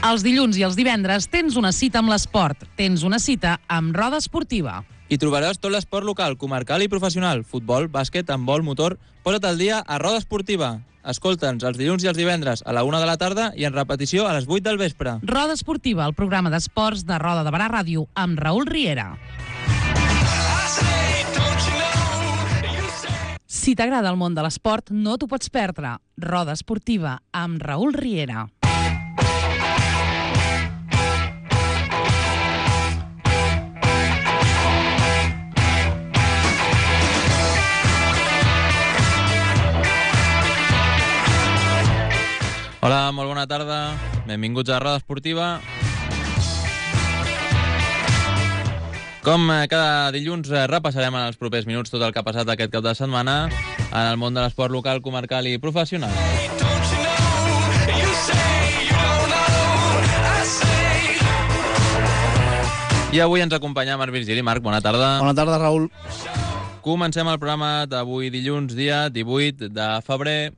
Els dilluns i els divendres tens una cita amb l'esport. Tens una cita amb Roda Esportiva. Hi trobaràs tot l'esport local, comarcal i professional. Futbol, bàsquet, handbol, motor. Posa't al dia a Roda Esportiva. Escolta'ns els dilluns i els divendres a la 1 de la tarda i en repetició a les 8 del vespre. Roda Esportiva, el programa d'esports de Roda de Barà Ràdio amb Raül Riera. Si t'agrada el món de l'esport, no t'ho pots perdre. Roda Esportiva amb Raül Riera. Hola, molt bona tarda. Benvinguts a Roda Esportiva. Com cada dilluns repassarem en els propers minuts tot el que ha passat aquest cap de setmana en el món de l'esport local, comarcal i professional. I avui ens acompanya Marc Virgili. Marc, bona tarda. Bona tarda, Raül. Comencem el programa d'avui dilluns, dia 18 de febrer.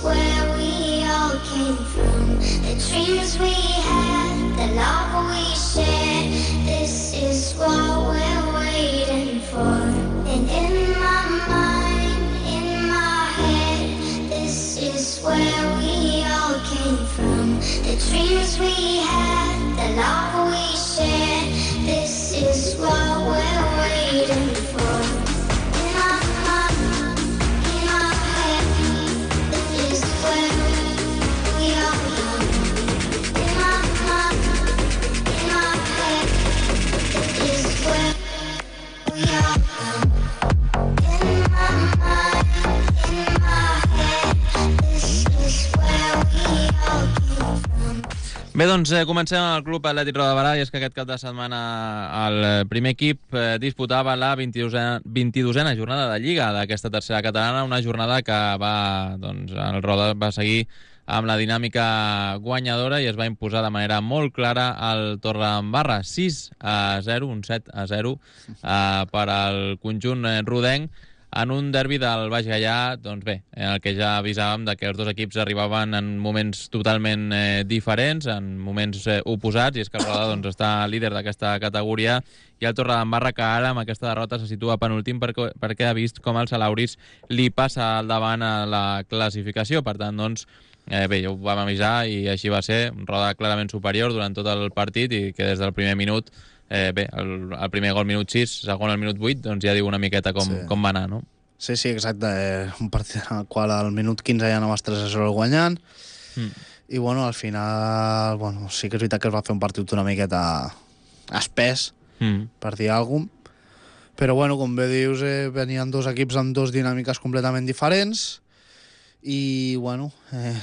Where we all came from, the dreams we had, the love we shared, this is what we're waiting for. And in my mind, in my head, this is where we all came from, the dreams we had, the love we shared, this is what we're waiting for. Bé, doncs comencem el Club Atlètic Roda de Barà, i és que aquest cap de setmana el primer equip disputava la 22a jornada de Lliga d'aquesta tercera catalana, una jornada que el Roda va seguir amb la dinàmica guanyadora i es va imposar de manera molt clara al Torredembarra, 6-0, un 7-0 per al conjunt rodenc, en un derbi del Baix Gaià, doncs bé, en el que ja avisàvem de que els dos equips arribaven en moments totalment diferents, en moments oposats, i és que el Roda està líder d'aquesta categoria, i el Torredembarra, que ara amb aquesta derrota se situa penúltim perquè ha vist com el Salauris li passa al davant a la classificació. Per tant, doncs, bé, ja ho vam avisar i així va ser, un Roda clarament superior durant tot el partit i que des del primer minut, bé, el primer gol minut 6, segon al minut 8, doncs ja diu una miqueta com va anar, no? Sí, exacte. Un partit en el qual al minut 15 ja anaves 3-0 guanyant i, bueno, al final, bueno, sí que és veritat que es va fer un partit una miqueta espès, per dir alguna cosa, però, bueno, com bé dius, venien dos equips amb dos dinàmiques completament diferents i, bueno,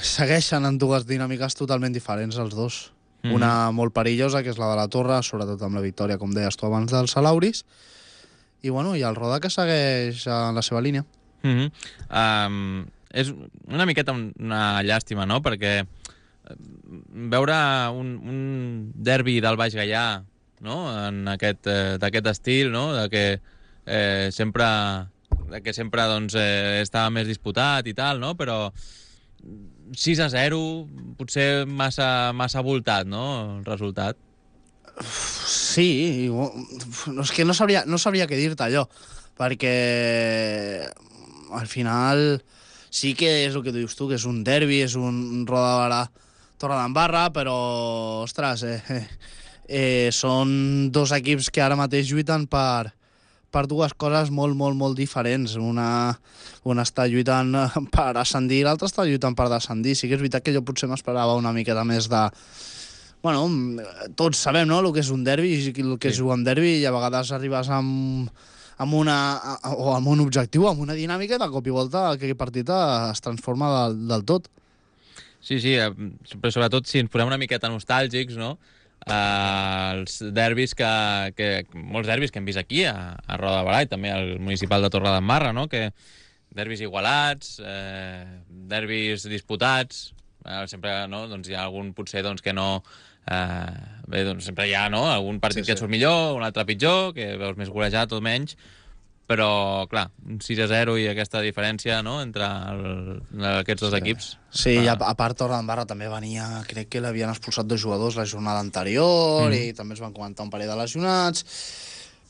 segueixen en dues dinàmiques totalment diferents els dos. Una molt perillosa, que és la de la Torre, sobretot amb la victòria, com deies tu abans, del Salauris, i, bueno, i el Roda, que segueix en la seva línia. És una miqueta una llàstima, no?, perquè veure un derbi del Baix Gaià, no?, d'aquest estil, no?, de que sempre doncs, estava més disputat i tal, no?, però 6-0, potser massa voltat, no?, el resultat. Sí, és que no sabria què dir-te allò, perquè al final sí que és el que dius tu, que és un derbi, és un Roda de Barà Torredembarra, però, ostres, són dos equips que ara mateix lluiten per dues coses molt diferents. Una està lluitant per ascendir i l'altra està lluitant per descendir. Sí que és veritat que jo potser m'esperava una miqueta més de... Bueno, tots sabem, no?, el que és un derbi i el que és jugar un derbi, i a vegades arribes amb un objectiu, amb una dinàmica, i de cop i volta aquell partit es transforma del tot. Sí, però sobretot si ens posem una miqueta nostàlgics, no?, els derbis molts derbis que hem vist aquí a Roda de Barà i també al municipal de Torredembarra, no?, que derbis igualats, derbis disputats, sempre, no?, doncs hi ha algun potser doncs que no... Bé, doncs sempre hi ha, no?, algun partit que et surt millor, un altre pitjor, que veus més golejat o menys, però, clar, un 6-0 i aquesta diferència, no?, entre aquests dos equips. Sí, i a part Torredembarra també venia, crec que l'havien expulsat 2 jugadors la jornada anterior i també es van comentar un parell de lesionats,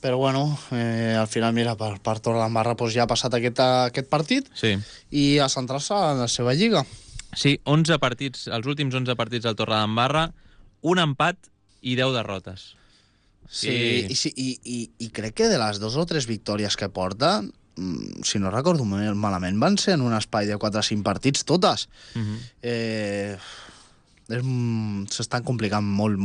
però bueno, al final, mira, per Torredembarra doncs ja ha passat aquest partit i a centrar-se en la seva lliga. Sí, 11 partits, els últims 11 partits del Torredembarra, un empat i 10 derrotes. Sí, i crec que de les 2 o 3 victòries que porta, si no recordo malament, van ser en un espai de 4 o 5 partits totes. S'estan complicant molt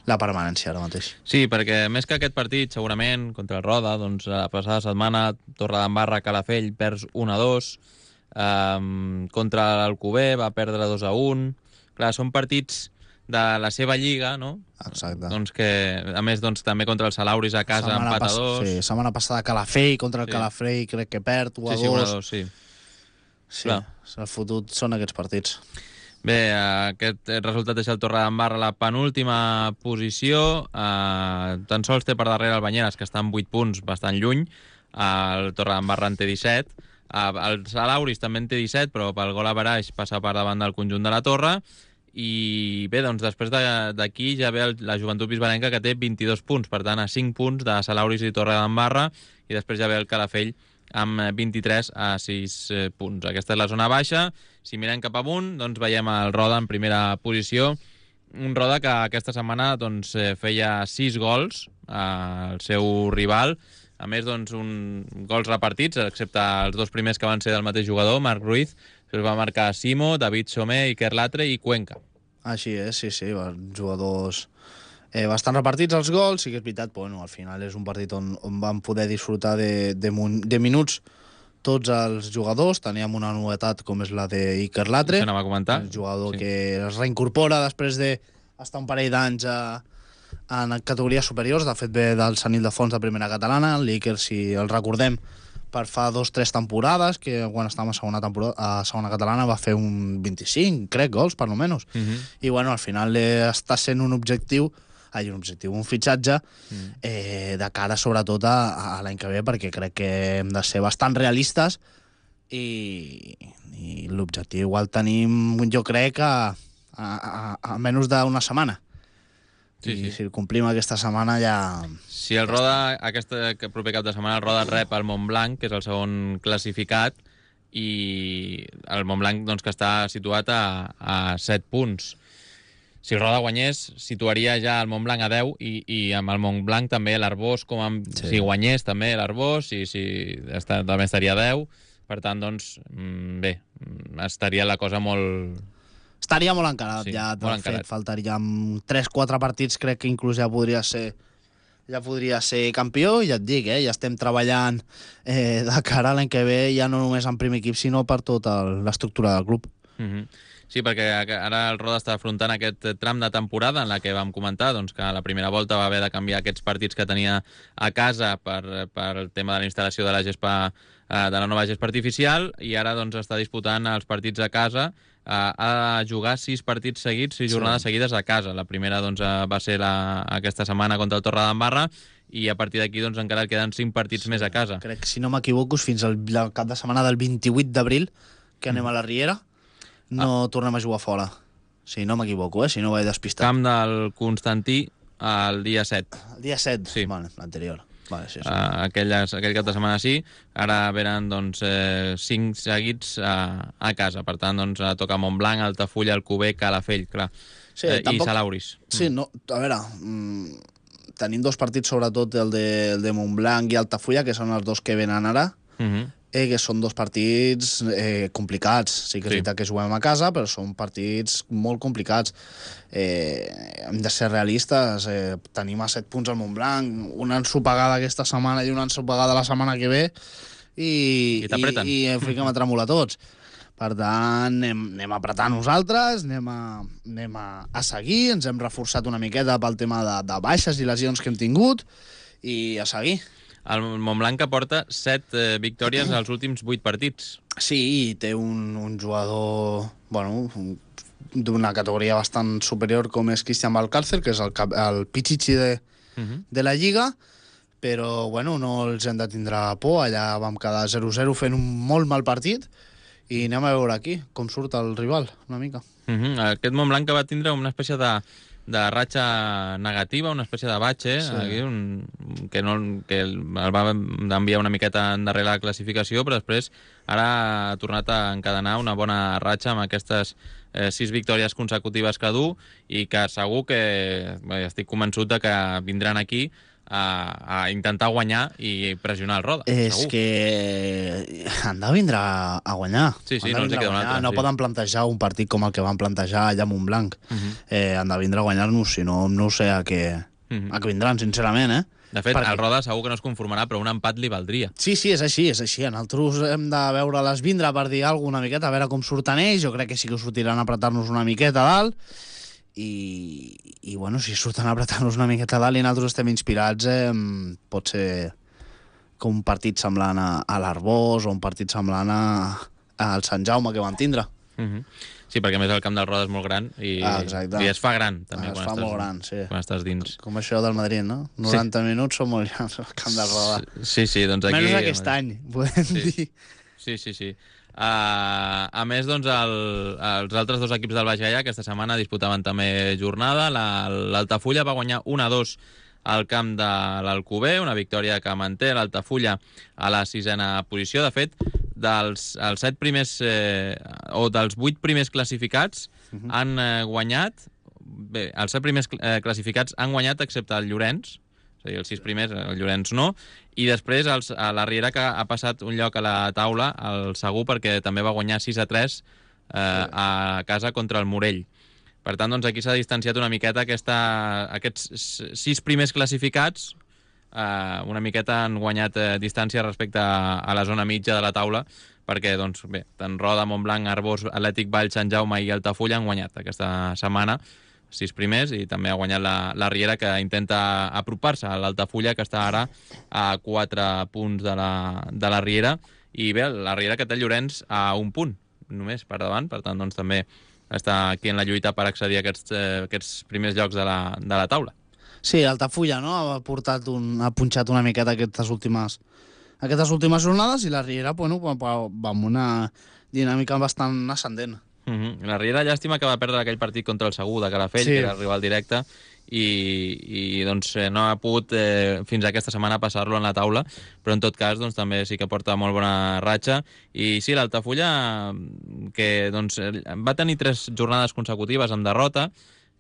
la permanència ara mateix. Sí, perquè més que aquest partit, segurament, contra el Roda, doncs la passada setmana, Torredembarra, Calafell, perds 1-2, contra l'Alcover va perdre 2-1. Clar, són partits de la seva lliga, no? Exacte. Doncs que, a més, doncs, també contra el Salauris a casa, empat a 2. Sí, setmana passada Calafell contra el Calafell, crec que perd 1-2. Sí, 1-2, sí. Sí, el fotut són aquests partits. Bé, aquest resultat deixa el Torredembarra a la penúltima posició. Tan sols té per darrere el Banyeres, que està amb 8 punts, bastant lluny. El Torredembarra en té 17. El Salauris també en té 17, però pel gol a baraix passa per davant del conjunt de la Torre. I bé, doncs després d'aquí ja ve la Joventut Bisbalenca, que té 22 punts, per tant a 5 punts de Salauris i Torredembarra, i després ja ve el Calafell amb 23 a 6 punts. Aquesta és la zona baixa. Si mirem cap amunt, doncs veiem el Roda en primera posició, un Roda que aquesta setmana doncs, feia 6 gols al seu rival, a més, doncs, gols repartits, excepte els 2 primers que van ser del mateix jugador, Marc Ruiz. Es va marcar Simo, David Somé, Iker Latre i Cuenca. Així és, sí, jugadors bastant repartits els gols. Sí que és veritat, bueno, al final és un partit on vam poder disfrutar de minuts tots els jugadors. Teníem una novetat com és la d'Iker Latre, això anava a comentar. El jugador que es reincorpora després d'estar un parell d'anys en categories superiors. De fet, ve del Sant Ildefons de primera catalana. L'Iker, si el recordem, per fa 2 o 3 temporades, que quan estàvem a segona catalana va fer un 25, crec, gols, per almenys. I bueno, al final està sent un fitxatge de cara sobretot a l'any que ve, perquè crec que hem de ser bastant realistes i l'objectiu el tenim, jo crec, a menys d'una setmana. Sí. Si el complim aquesta setmana ja... Si el Roda, aquest proper cap de setmana, el Roda rep el Montblanc, que és el segon classificat, i el Montblanc, doncs, que està situat a 7 punts. Si el Roda guanyés, situaria ja el Montblanc a 10, i amb el Montblanc també l'Arbós, si guanyés també l'Arbós, també estaria a 10. Per tant, doncs, bé, estaria la cosa molt... Estaria molt encarat, sí, ja, de fet, faltarien 3-4 partits, crec que inclús ja podria ser campió, i ja et dic, ja estem treballant de cara a l'any que ve, ja no només en primer equip, sinó per tota l'estructura del club. Sí, perquè ara el Roda està afrontant aquest tram de temporada en la que vam comentar doncs, que a la primera volta va haver de canviar aquests partits que tenia a casa per el tema de la instal·lació de la gespa, de la nova gespa artificial, i ara doncs, està disputant els partits a casa. Ha de jugar 6 partits seguits, 6 jornades seguides a casa. La primera doncs, va ser aquesta setmana contra el Torredembarra, i a partir d'aquí doncs, encara queden 5 partits més a casa. Crec que, si no m'equivoco, fins al cap de setmana del 28 d'abril, que anem a la Riera, no tornem a jugar fora. Si no m'equivoco, si no vaig despistar. Camp del Constantí el dia 7. El dia 7? Sí. Vale, l'anterior. Vale, sí. Aquell cap de setmana sí. Ara venen doncs, 5 seguits a casa. Per tant, doncs, toca Montblanc, Altafulla, Alcover, Calafell, clar. Sí, i Salauris. Sí, no, a veure, tenim 2 partits, sobretot el de Montblanc i Altafulla, que són els 2 que venen ara, que són 2 partits complicats. Sí que és veritat que juguem a casa, però són partits molt complicats. Hem de ser realistes. Tenim a 7 punts al Montblanc, una ensopegada aquesta setmana i una ensopegada la setmana que ve, i fiquem a tremolar tots. Per tant, anem a apretar nosaltres, anem a seguir, ens hem reforçat una miqueta pel tema de baixes i lesions que hem tingut, i a seguir. El Montblanc que porta 7 victòries als últims 8 partits. Sí, i té un jugador, bueno, d'una categoria bastant superior com és Cristian Valcárcel, que és el Pichichi de la Lliga, però bueno, no els hem de tindre por. Allà vam quedar 0-0 fent un molt mal partit i anem a veure aquí com surt el rival, una mica. Aquest Montblanc que va tindre una espècie de ratxa negativa, una espècie de batxe, aquí, que el va enviar una miqueta endarrere la classificació, però després ara ha tornat a encadenar una bona ratxa amb aquestes 6 victòries consecutives que du i que segur que estic convençut de que vindran aquí a intentar guanyar i pressionar el Roda. És segur. que han de vindre a guanyar. Sí, Han de no els vindre queda a un guanyar. altre. No poden plantejar un partit com el que van plantejar allà a Montblanc. Han de vindre a guanyar-nos, si no, no sé a què vindran, sincerament, De fet, Perquè- el Roda segur que no es conformarà, però un empat li valdria. Sí, és així, és així. Nosaltres hem de veure-les vindre per dir alguna miqueta, a veure com surten ells. Jo crec que sí que sortiran a apretar-nos una miqueta a dalt. I bueno, si surten a apretar-nos una miqueta a dalt i nosaltres estem inspirats, pot ser com un partit semblant a l'Arbós o un partit semblant al Sant Jaume que van tindre. Sí, perquè a més el camp del Roda és molt gran i es fa gran, també. Es fa molt gran, sí. Quan estàs dins. Com això del Madrid, no? 90 minuts són molt grans al camp del Roda. Sí, doncs aquí... Menys aquest any, podem dir. Sí. A més, doncs, els altres dos equips del Baix Gaià aquesta setmana disputaven també jornada. L'Altafulla va guanyar 1-2 al camp de l'Alcover, una victòria que manté l'Altafulla a la 6a posició. De fet, dels 8 primers classificats han guanyat... Bé, els 7 primers classificats han guanyat excepte el Llorenç, és a dir, els 6 primers, el Llorenç no, i després la Riera, que ha passat un lloc a la taula, el Segur, perquè també va guanyar 6-3 a casa contra el Morell. Per tant, doncs, aquí s'ha distanciat una miqueta aquests 6 primers classificats, una miqueta han guanyat distància respecte a la zona mitja de la taula, perquè, doncs, bé, tant Roda, Montblanc, Arbós, Atlètic Vall, Sant Jaume i Altafulla han guanyat aquesta setmana 6 primers, i també ha guanyat la Riera, que intenta apropar-se a l'Altafulla, que està ara a 4 punts de la Riera, i bé, la Riera que té el Llorenç a 1 punt només per davant, per tant, doncs, també està aquí en la lluita per accedir a aquests primers llocs de la taula. Sí, Altafulla, no? Ha punxat una miqueta aquestes últimes jornades, i la Riera, bueno, va amb una dinàmica bastant ascendent. La Riera, llàstima que va perdre aquell partit contra el Segur de Calafell, que era el rival directe, i doncs no ha pogut fins aquesta setmana passar-lo en la taula, però en tot cas doncs, també sí que porta molt bona ratxa. I sí, l'Altafulla, que doncs, va tenir 3 jornades consecutives amb derrota,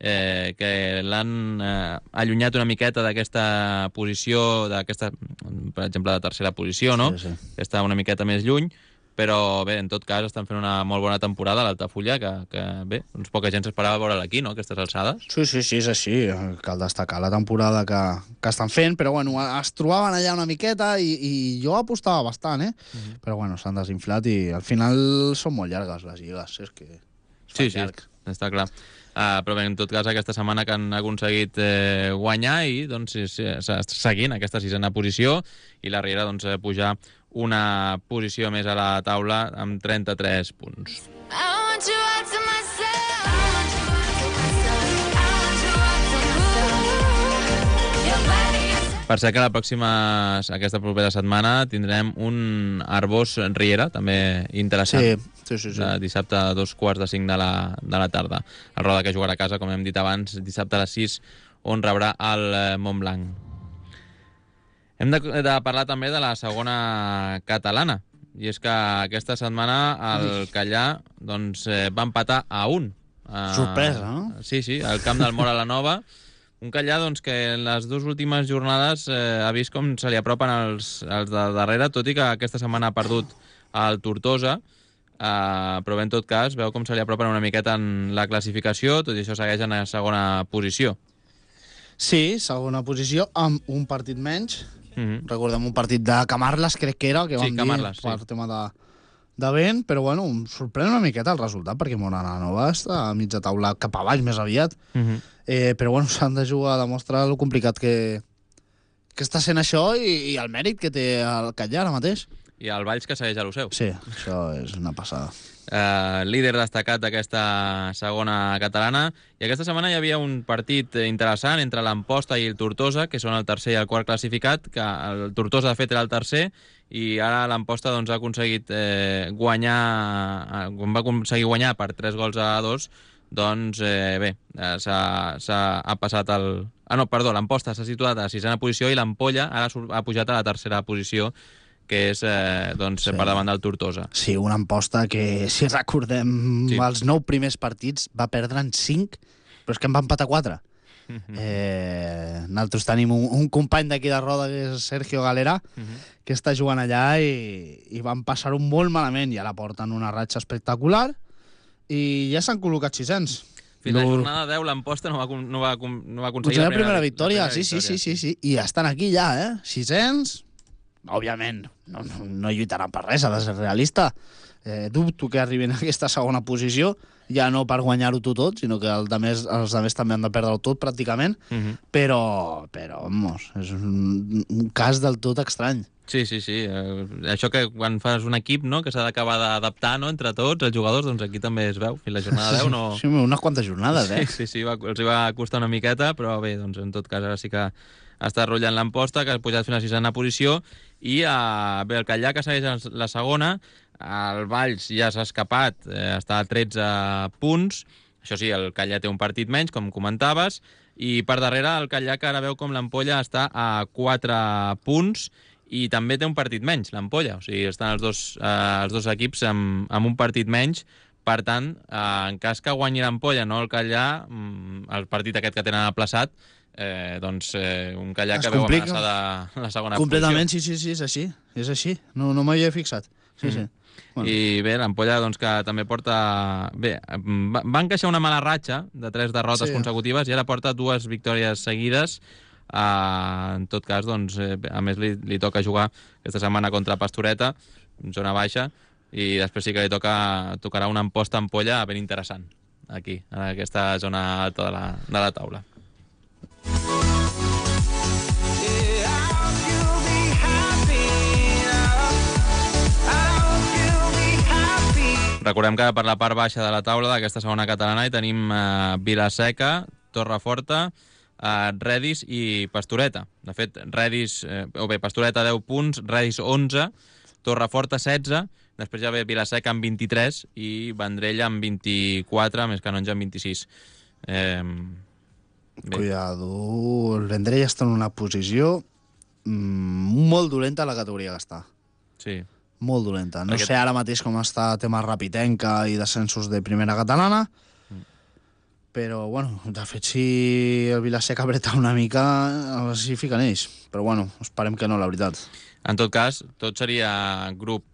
que l'han allunyat una miqueta d'aquesta posició, per exemple, de tercera posició, no? Sí. Que està una miqueta més lluny, però bé, en tot cas estan fent una molt bona temporada a l'Altafulla, que bé, doncs poca gent s'esperava veure'l aquí, no?, aquestes alçades. Sí, és així. Cal destacar la temporada que estan fent, però bueno, es trobaven allà una miqueta i jo apostava bastant, però bueno, s'han desinflat i al final són molt llargues les lligues, és que Sí, està clar. Però bé, en tot cas, aquesta setmana que han aconseguit guanyar i doncs seguint aquesta 6a posició, i la Riera doncs pujar una posició més a la taula amb 33 punts. Per ser que aquesta propera setmana tindrem un Arbós Riera, també interessant. Sí. Dissabte a 4:45 de la tarda. El Roda, que jugarà a casa, com hem dit abans, dissabte a les 6, on rebrà el Montblanc. Hem de parlar també de la segona catalana, i és que aquesta setmana el Callà doncs, va empatar a 1. Sorpresa, no? Sí, al camp del Móra la Nova. Un Callà doncs, que en les 2 últimes jornades ha vist com se li apropen els de darrere, tot i que aquesta setmana ha perdut el Tortosa, però bé, en tot cas, veu com se li apropen una miqueta en la classificació, tot i això segueix en la segona posició. Sí, segona posició, amb un partit menys. Recordem un partit de Camarles, crec que era, que vam dir, per tema de vent, però bueno, em sorprèn una miqueta el resultat, perquè Móra la Nova està a mitja taula cap a baix més aviat, però bueno, s'han de jugar a demostrar el complicat que està sent això i el mèrit que té el Callà ara mateix. I el Valls, que segueix a lo seu. Sí, això és una passada. líder destacat d'aquesta segona catalana. I aquesta setmana hi havia un partit interessant entre l'Amposta i el Tortosa, que són el tercer i el quart classificat, que el Tortosa, de fet, era el tercer, i ara l'Amposta doncs, ha aconseguit guanyar per 3 gols a 2. Doncs bé, ha passat el... l'Amposta s'ha situat a la 6a posició i l'Ampolla ara ha pujat a la 3a posició, que és per davant del Tortosa. Sí, una Amposta que, si recordem, els 9 primers partits va perdre en 5, però és que en va empatar 4. Nosaltres tenim un company d'aquí de Roda, que és Sergio Galera, que està jugant allà i van passar-ho molt malament, i ara porten una ratxa espectacular i ja s'han col·locat 600. Fins a la jornada 10 l'Amposta no va aconseguir la primera victòria. Sí. I estan aquí ja, 600. Òbviament, no lluitaran per res, ha de ser realista. Dubto que arribin a aquesta segona posició, ja no per guanyar-ho tot, sinó que els altres també han de perdre-ho tot, pràcticament, però vamos, és un cas del tot estrany. Sí. Això que quan fas un equip, no?, que s'ha d'acabar d'adaptar, no?, entre tots, els jugadors, doncs aquí també es veu. Fins la jornada 10 no... Sí, unes quantes jornades, Sí, els hi va costar una miqueta, però bé, doncs en tot cas ara sí que està rotllant l'Amposta, que ha pujat fins a la 6a posició, i bé, el Catllà, que segueix la segona, el Valls ja s'ha escapat, està a 13 punts, això sí, el Catllà té un partit menys, com comentaves, i per darrere el Catllà, que ara veu com l'Ampolla està a 4 punts, i també té un partit menys, l'Ampolla. O sigui, estan els dos equips amb un partit menys. Per tant, en cas que guanyi l'Ampolla, no el Catllà, el partit aquest que tenen aplaçat, doncs un Catllà que veu amenaçada la segona posició. Completament, sí, és així. No m'hi havia fixat. Sí. Bueno. I bé, l'Ampolla, doncs, que també porta... Bé, va encaixar una mala ratxa de 3 derrotes consecutives i ara porta 2 victòries seguides. En tot cas, doncs, a més li toca jugar aquesta setmana contra Pastoreta, zona baixa, i després sí que li tocarà una Amposta-Ampolla ben interessant, aquí, en aquesta zona alta de la taula. Recordem que per la part baixa de la taula d'aquesta segona catalana hi tenim Vila-seca, Torreforta, Redis i Pastoreta. De fet, Pastoreta 10 punts, Redis 11, Torreforta 16, després ja ve Vila-seca amb 23 i Vendrell amb 24, més Canonja amb 26. Cuidado, el Vendrell està en una posició molt dolenta a la categoria que està. Sí. Molt dolenta. No sé ara mateix com està el tema Rapitenca i descensos de primera catalana, però, bueno, de fet, si el Vila-seca apreta una mica, s'hi fiquen ells. Però, bueno, esperem que no, la veritat. En tot cas, tot seria grup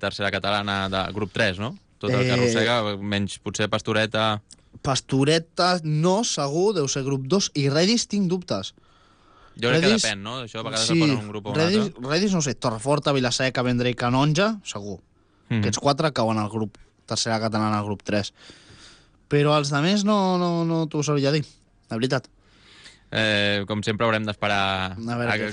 tercera catalana, de grup 3, no? Tot el que arrossega, menys potser Pastoreta... Pastoreta no, segur, deu ser grup 2, i Redis tinc dubtes. Jo crec que depèn, no? Això a vegades el posen un grup o un altre. Redis, no sé, Torreforta, Vila-seca, Vendrell, Canonja, segur. Aquests 4 cauen al grup tercera catalana, al grup 3. Però els de més no t'ho sabria dir, la veritat. Com sempre haurem d'esperar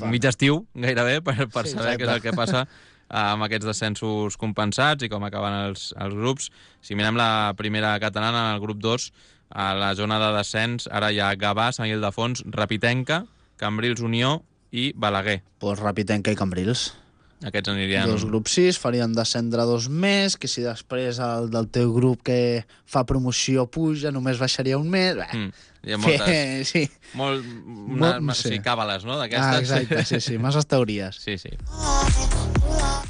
mig estiu, gairebé, per saber què és el que passa amb aquests descensos compensats i com acaben els grups. Si mirem la primera catalana, el grup 2, a la zona de descens, ara hi ha Gavà, Sant Ildefons, Rapitenca, Cambrils, Unió i Balaguer. Pues Rapitenca i Cambrils. Aquests anirien... 2 grups 6, farien descendre 2 més, que si després el del teu grup que fa promoció puja, només baixaria un més... Hi ha moltes... Sí. Sí, càbales, no? Exacte, sí, masses teories. Sí.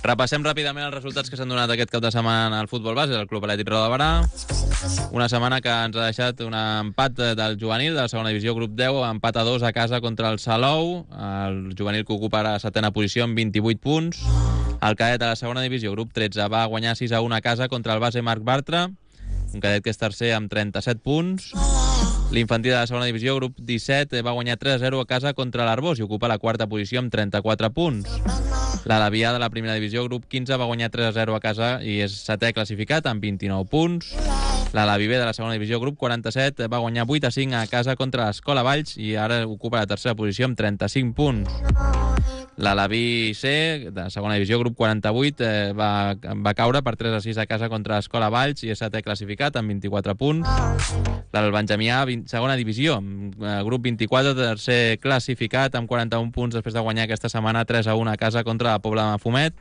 Repassem ràpidament els resultats que s'han donat aquest cap de setmana al futbol base del Club Atlètic Roda de Berà. Una setmana que ens ha deixat un empat del juvenil de la segona divisió, grup 10, empat a 2 a casa contra el Salou, el juvenil que ocupa la 7a posició amb 28 punts. El cadet de la segona divisió, grup 13, va guanyar 6 a 1 a casa contra el base Marc Bartra, un cadet que és tercer amb 37 punts. L'infantil de la segona divisió, grup 17, va guanyar 3 a 0 a casa contra l'Arbós i ocupa la 4a posició amb 34 punts. L'Alavià de la primera divisió, grup 15, va guanyar 3 a 0 a casa i és 7è classificat amb 29 punts. L'Alaví B de la segona divisió, grup 47, va guanyar 8-5 a casa contra l'Escola Valls i ara ocupa la tercera posició amb 35 punts. L'Alaví C, de segona divisió, grup 48, va caure per 3-6 a casa contra l'Escola Valls i és setè classificat amb 24 punts. El Benjamí A, segona divisió, grup 24, tercer classificat amb 41 punts després de guanyar aquesta setmana 3-1 a casa contra la Pobla de Mafumet.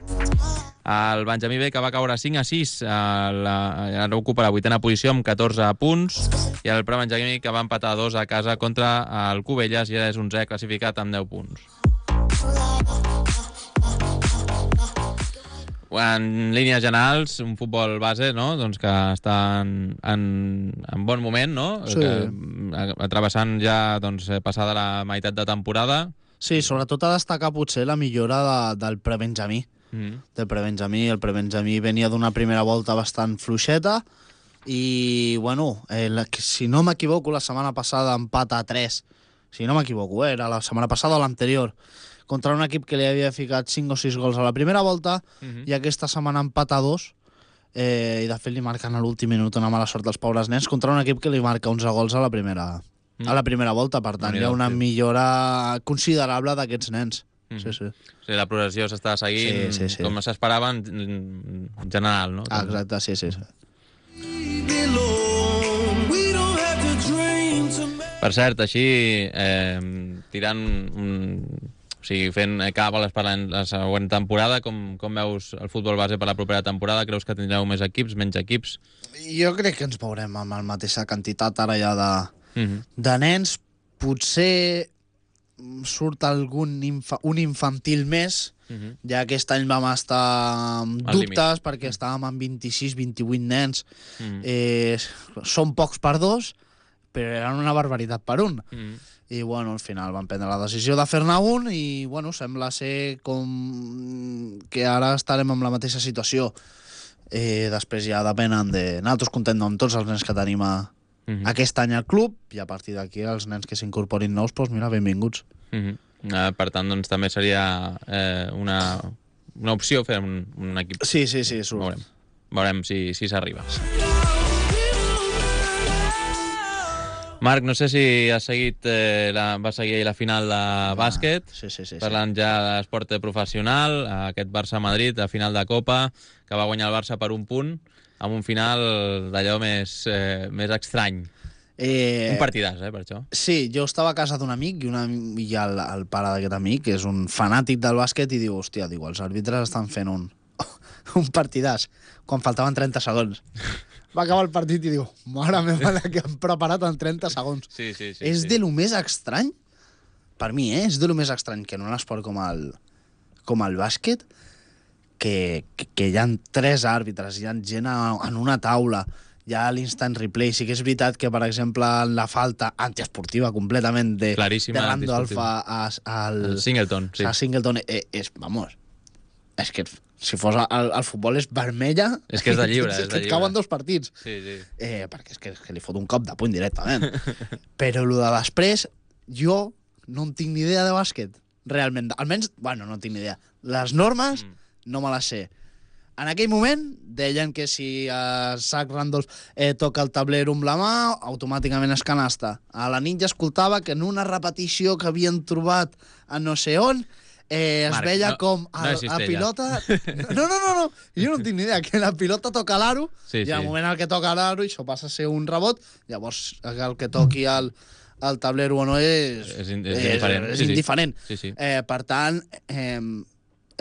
El Benjamí B, que va caure 5-6, ara ocupa la 8a posició amb 14 punts, i el Prebenjamí, que va empatar 2 a casa contra el Cubelles i ara és 11è classificat amb 10 punts. En línies generals, un futbol base, no? Doncs que està en bon moment, no? Sí. Travessant ja passada la meitat de temporada. Sí, sobretot a destacar potser la millora del Prebenjamí. Del Prebenjamí. El Prebenjamí venia d'una primera volta bastant fluixeta i, bueno, si no m'equivoco, la setmana passada empat a 3. Si no m'equivoco, era la setmana passada o l'anterior, contra un equip que li havia ficat 5 o 6 gols a la primera volta, i aquesta setmana empat a 2, i de fet li marquen a l'últim minut una mala sort als pobres nens, contra un equip que li marca 11 gols a la primera volta. Per tant, hi ha una millora considerable d'aquests nens. Sí, sí. Sí, la progressió s'està seguint com s'esperava en general, no? Exacte, sí. Per cert, així, tirant o sigui, fent càbales per la següent temporada, com veus el futbol base per la propera temporada? Creus que tindreu més equips, menys equips? Jo crec que ens veurem amb la mateixa quantitat ara ja de nens. Potser surt un infantil més, ja aquest any vam estar amb dubtes perquè estàvem amb 26-28 nens. Són pocs per dos, però eren una barbaritat per un. I, bueno, al final van prendre la decisió de fer-ne un i, bueno, sembla ser com que ara estarem en la mateixa situació. Després ja depenen de... Nosaltres contem amb tots els nens que tenim aquest any al club i a partir d'aquí els nens que s'incorporin nous, doncs mira, benvinguts. Per tant, doncs també seria una opció fer un equip. Sí, surt. Veurem si s'arriba. Marc, no sé si has seguit, vas seguir ahir la final de bàsquet. Sí. Parlant ja d'esport professional, aquest Barça-Madrid, la final de Copa, que va guanyar el Barça per un punt, amb un final d'allò més estrany. Un partidàs, per això. Sí, jo estava a casa d'un amic i el pare d'aquest amic, que és un fanàtic del bàsquet, i diu, hòstia, els àrbitres estan fent un partidàs, quan faltaven 30 segons. Va acabar el partit i diu, mare meva, la que han preparat en 30 segons. Sí. És de lo més estrany, per mi, és de lo més estrany que en un esport com el bàsquet, que hi ha 3 àrbitres, hi ha gent en una taula, hi ha l'instant replay. Sí que és veritat que, per exemple, la falta antiesportiva completament de Randolph al Singleton. Sí. A Singleton és que si fos el futbol és vermella, és que és de lliure, és que et cauen 2 partits. Sí. Perquè és que li fot un cop de puny directament. Però el de després, jo no en tinc ni idea de bàsquet, realment. Almenys, bueno, no en tinc ni idea. Les normes no me les sé. En aquell moment deien que si Zach Randolph toca el tablero amb la mà, automàticament és canasta. A la nit ja escoltava que en una repetició que havien trobat a no sé on, es veia com la pilota... No, jo no tinc ni idea, que la pilota toca l'aro, i al moment en què toca l'aro, això passa a ser un rebot, llavors el que toqui el tablero o no és indiferent. Sí. Per tant, és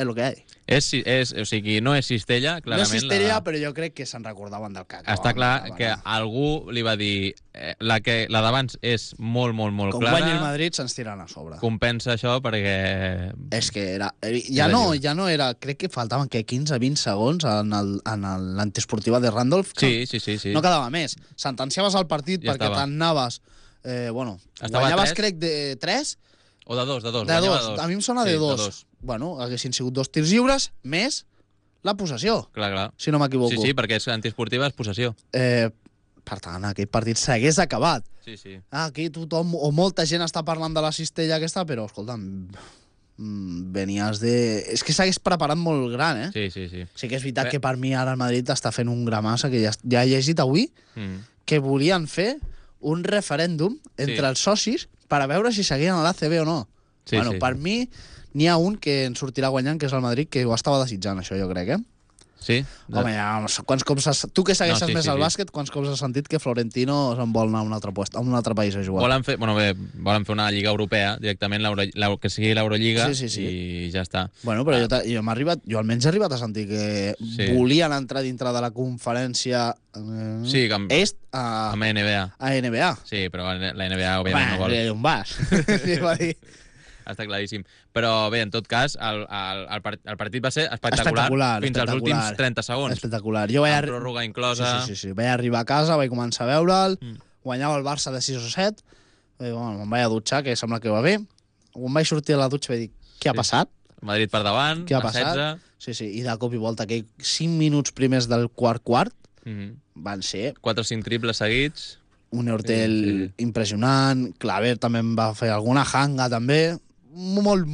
el que hi ha. O sigui, no és cistella, clarament. No és cistella, però jo crec que se'n recordaven del que acabaven. Està clar que algú li va dir la d'abans és molt clara. Com guanyi el Madrid, se'ns tiren a sobre. Compensa això perquè... És que era... Ja no era... Crec que faltaven 15-20 segons en l'antiesportiva de Randolph. Sí. No quedava més. Sentenciaves el partit perquè t'anaves... guanyaves, crec, de 3... O de 2. De 2. A mi em sona de 2. Bueno, haguessin sigut 2 tirs lliures més la possessió. Clar. Si no m'equivoco. Sí, perquè és antiesportiva, és possessió. Per tant, aquell partit s'hagués acabat. Sí. Aquí tothom o molta gent està parlant de la cistella aquesta, però, escolta'm, venies de... És que s'hagués preparat molt gran, Sí. Sí que és veritat que per mi ara el Madrid està fent un gramassa, que ja he llegit avui, que volien fer un referèndum entre els socis per a veure si seguien a l'ACB o no. Per mi n'hi ha un que en sortirà guanyant, que és el Madrid, que ho estava desitjant, això, jo crec, Sí? Home, ja, quants cops tu que segueixes més el bàsquet, quants cops has sentit que Florentino se'n vol anar a un altre país a jugar? Volen fer una lliga europea, directament, que sigui l'Eurolliga, i ja està. Bueno, però jo almenys he arribat a sentir que volien entrar dintre de la conferència est amb NBA. A NBA. Sí, però la NBA, òbviament, no vol. On vas? Sí, va dir... Està claríssim. Però bé, en tot cas, el partit va ser espectacular fins als últims 30 segons. Espectacular. Amb pròrroga inclosa. Sí. Vaig arribar a casa, vaig començar a veure'l, guanyava el Barça de 6 o 7, me'n vaig a dutxar, que sembla que va bé. Quan vaig sortir a la dutxa vaig dir, què ha passat? Madrid per davant, què ha passat? 16. Sí, i de cop i volta, aquells 5 minuts primers del quart van ser... 4 o 5 triples seguits. Un Hortel impressionant, Claver també en va fer alguna, Hanga també... Molt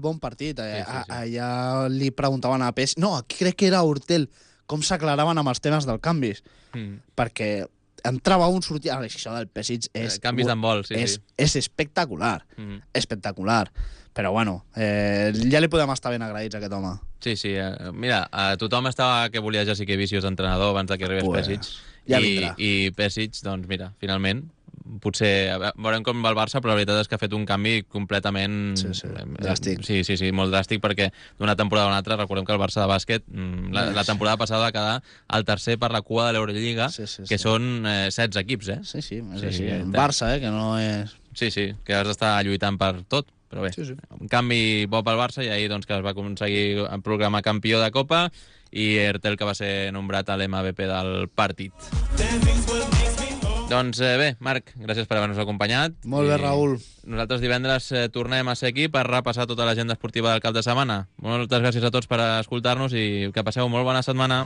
bon partit. Allà li preguntaven a Pes... No, crec que era Hortel, com s'aclaraven amb els temes dels canvis. Perquè entrava un, sortia... Això del Pesic és... Canvis d'handbol, és espectacular. Espectacular. Però bueno, ja li podem estar ben agraïts a aquest home. Sí. Mira, tothom estava que volia Jessica Vicius entrenador abans que arribés Pesic. Ja vindrà. I Pesic, doncs mira, finalment... Potser veurem com va el Barça, però la veritat és que ha fet un canvi completament... dràstic. Sí, molt dràstic, perquè d'una temporada a una altra, recordem que el Barça de bàsquet la temporada passada va quedar el tercer per la cua de l'Eurolliga, que són 16 equips, Sí, és així. Un Barça, que no és... Sí, que has d'estar lluitant per tot, però bé. Un canvi bo pel Barça, i ahir que es va aconseguir programar campió de Copa, i Ertel, que va ser nombrat a l'MVP del partit. Doncs bé, Marc, gràcies per haver-nos acompanyat. Molt bé, Raül. Nosaltres divendres tornem a ser aquí per repassar tota l'agenda esportiva del cap de setmana. Moltes gràcies a tots per escoltar-nos i que passeu molt bona setmana.